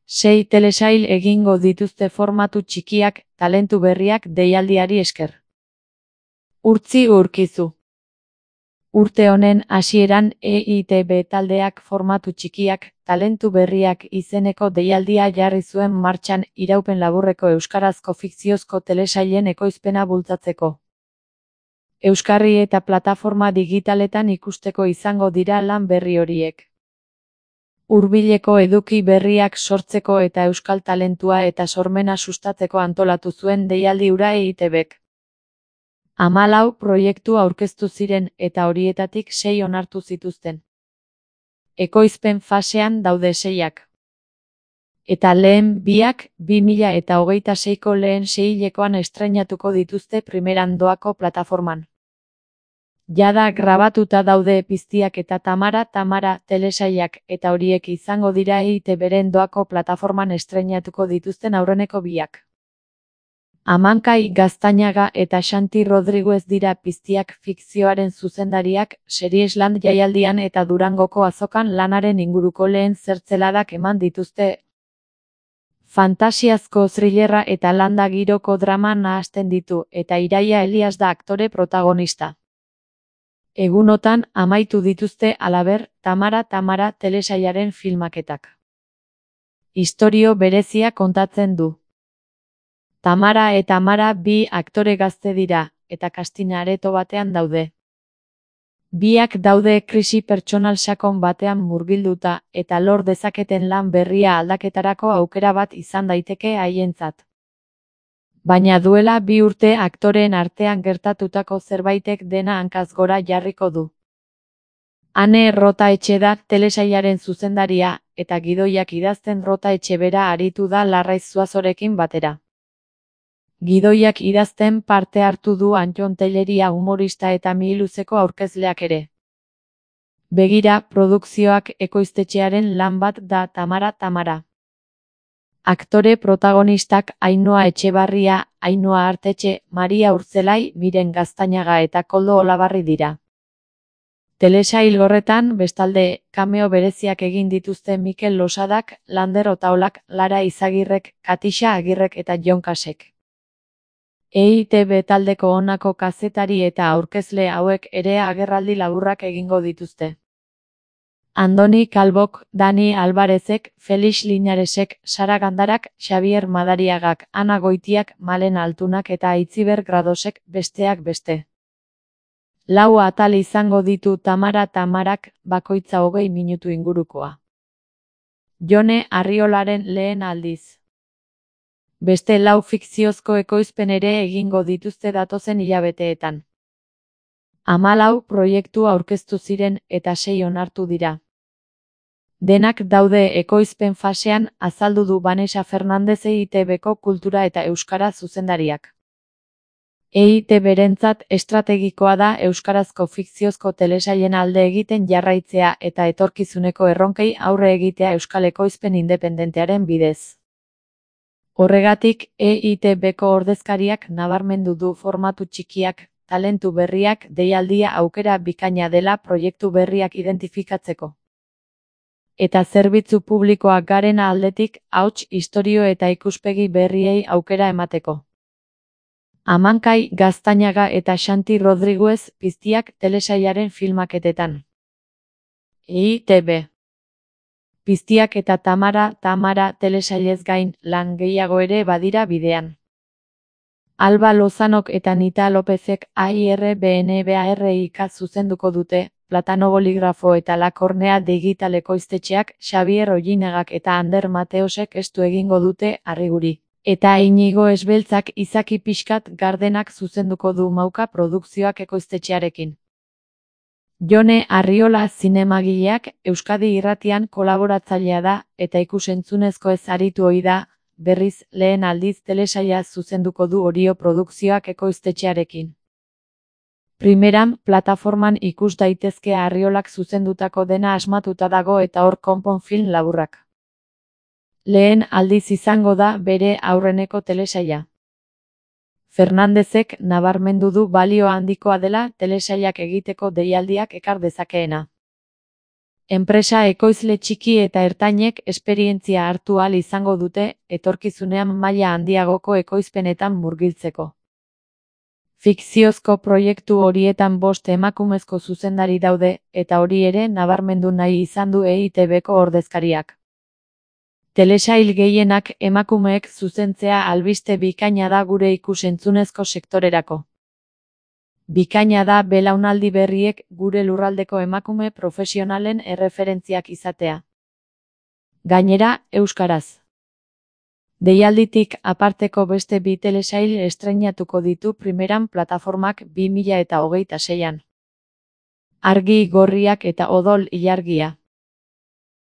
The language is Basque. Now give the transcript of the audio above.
6 telesail egingo dituzte formatu txikiak, talentu berriak deialdiari esker. Urtzi Urkizu. Urte honen hasieran EITB taldeak formatu txikiak, talentu berriak izeneko deialdia jarri zuen martxan iraupen laburreko euskarazko fikziozko telesailen ekoizpena bultzatzeko. Euskarri eta plataforma digitaletan ikusteko izango dira lan berri horiek. Hurbileko eduki berriak sortzeko eta euskal talentua eta sormena sustatzeko antolatu zuen deialdi hura EITBk. 14 proiektu aurkeztu ziren eta horietatik 6 onartu zituzten. Ekoizpen fasean daude 6ak. Eta lehen 2ak 2026ko lehen seihilekoan estreinatuko dituzte primeran doako plataforman. Jada grabatuta daude Piztiak eta Tamara telesailak eta horiek izango dira EITBren doako plataforman estreinatuko dituzten aurreneko 2ak. Amankai Gaztañaga eta Xanti Rodriguez dira Piztiak fikzioaren zuzendariak, Seriesland jaialdian eta Durangoko azokan lanaren inguruko lehen zertzeladak eman dituzte. Fantasiazko thrillerra eta landa giroko drama nahasten ditu, eta Iraia Elias da aktore protagonista. Egunotan amaitu dituzte halaber, Tamara telesailaren filmaketak. Istorio berezia kontatzen du. Tamara eta Mara 2 aktore gazte dira, eta casting areto batean daude. 2ak daude krisi pertsonal sakon batean murgilduta, eta lor dezaketen lan berria aldaketarako aukera bat izan daiteke haientzat. Baina duela 2 urte aktoreen artean gertatutako zerbaitek dena hankaz gora jarriko du. Ane Rotaetxe da telesailaren zuzendaria, eta gidoiak idazten Rotaetxe bera aritu da Larraiz Zuazorekin batera. Gidoiak idazten parte hartu du Antton Telleria humorista eta Mihiluzeko aurkezleak ere. Begira produkzioak ekoiztetxearen lan bat da Tamara. Aktore protagonistak Ainhoa Etxebarria, Ainhoa Artetxe, Maria Urtzelai, Miren Gaztañaga eta Koldo Olabarri dira. Telesail horretan, bestalde, cameo bereziak egin dituzte Mikel Losadak, Lander Otaolak, Lara Izagirrek, Katixa Agirrek eta Jon Kasek. EITB taldeko honako kazetari eta aurkezle hauek ere agerraldi laburrak egingo dituzte. Andoni Kalbok, Dani Alvarezek, Felix Linaresek, Sara Gandarak, Xavier Madariagak, Ana Goitiak, Malen Altunak eta Aitziber Gradosek, besteak beste. 4 atal izango ditu Tamarak, bakoitza 20 minutu ingurukoa. Jone Arriolaren lehen aldiz. Beste 4 fikziozko ekoizpen ere egingo dituzte datozen hilabeteetan. 14 proiektu aurkeztu ziren eta 6 onartu dira. Denak daude ekoizpen fasean, azaldu du Vanessa Fernandez EITBko kultura eta euskara zuzendariak. EITBrentzat estrategikoa da euskarazko fikziozko telesailen alde egiten jarraitzea eta etorkizuneko erronkei aurre egitea euskal ekoizpen independentearen bidez. Horregatik, EITBko ordezkariak nabarmendu du formatu txikiak, talentu berriak deialdia aukera bikaina dela proiektu berriak identifikatzeko. Eta zerbitzu publikoak garen aldetik, ahots, istorio eta ikuspegi berriei aukera emateko. Amankai Gaztañaga eta Xanti Rodriguez Piztiak telesailaren filmaketetan. EITB. Piztiak eta Tamara telesailez gain, lan gehiago ere badira bidean. Alba Lozanok eta Nita Lopezek AIRBNBARIK zuzenduko dute, Platano Boligrafo eta La Kornea digitaleko iztetxeak, Xavier Ollinagak eta Ander Mateosek estu egingo dute Arriguri. Eta Inigo Esbeltzak Izaki Pixkat Gardenak zuzenduko du Mauka produkzioak ekoiztetxearekin. Jone Arriola zinemagileak Euskadi Irratian kolaboratzailea da eta ikusentzunezko ez aritu ohi da, berriz lehen aldiz telesaila zuzenduko du Orio produkzioak ekoiztetxearekin. Primeran plataforman ikus daitezke Arriolak zuzendutako dena asmatuta dago eta hor konpon film laburrak. Lehen aldiz izango da bere aurreneko telesaila. Fernandezek nabarmendu du balio handikoa dela telesailak egiteko deialdiak ekar dezakeena. Enpresa ekoizle txiki eta ertainek esperientzia hartu ahal izango dute etorkizunean maila handiagoko ekoizpenetan murgiltzeko. Fikziozko proiektu horietan 5 emakumezko zuzendari daude, eta hori ere nabarmendu nahi izan du EITBko ordezkariak. Telesail gehienak emakumeek zuzentzea albiste bikaina da gure ikus-entzunezko sektorerako. Bikaina da belaunaldi berriek gure lurraldeko emakume profesionalen erreferentziak izatea. Gainera, euskaraz. Deialditik aparteko beste 2 telesail estreinatuko ditu Primeran plataformak 2026an. Argi gorriak eta odol ilargia.